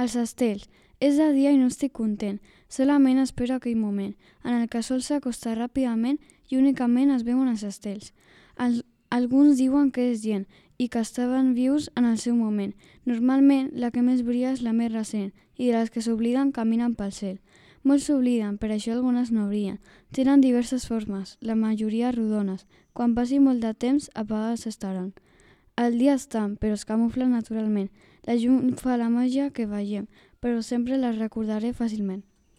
Els estels. És de dia i no estic content. Solament espero aquell moment, en el que el sol s'acosta ràpidament i únicament es veuen els estels. Alguns diuen que és gent i que estaven vius en el seu moment. Normalment, la que més brilla és la més recent i de les que s'obliden caminen pel cel. Molts s'obliden, per això algunes no brillen. Tenen diverses formes, la majoria rodones. Quan passi molt de temps, apagades estaran. El dia estan, però es camuflen naturalment. La llum fa la màgia que veiem, però sempre les recordaré fàcilment.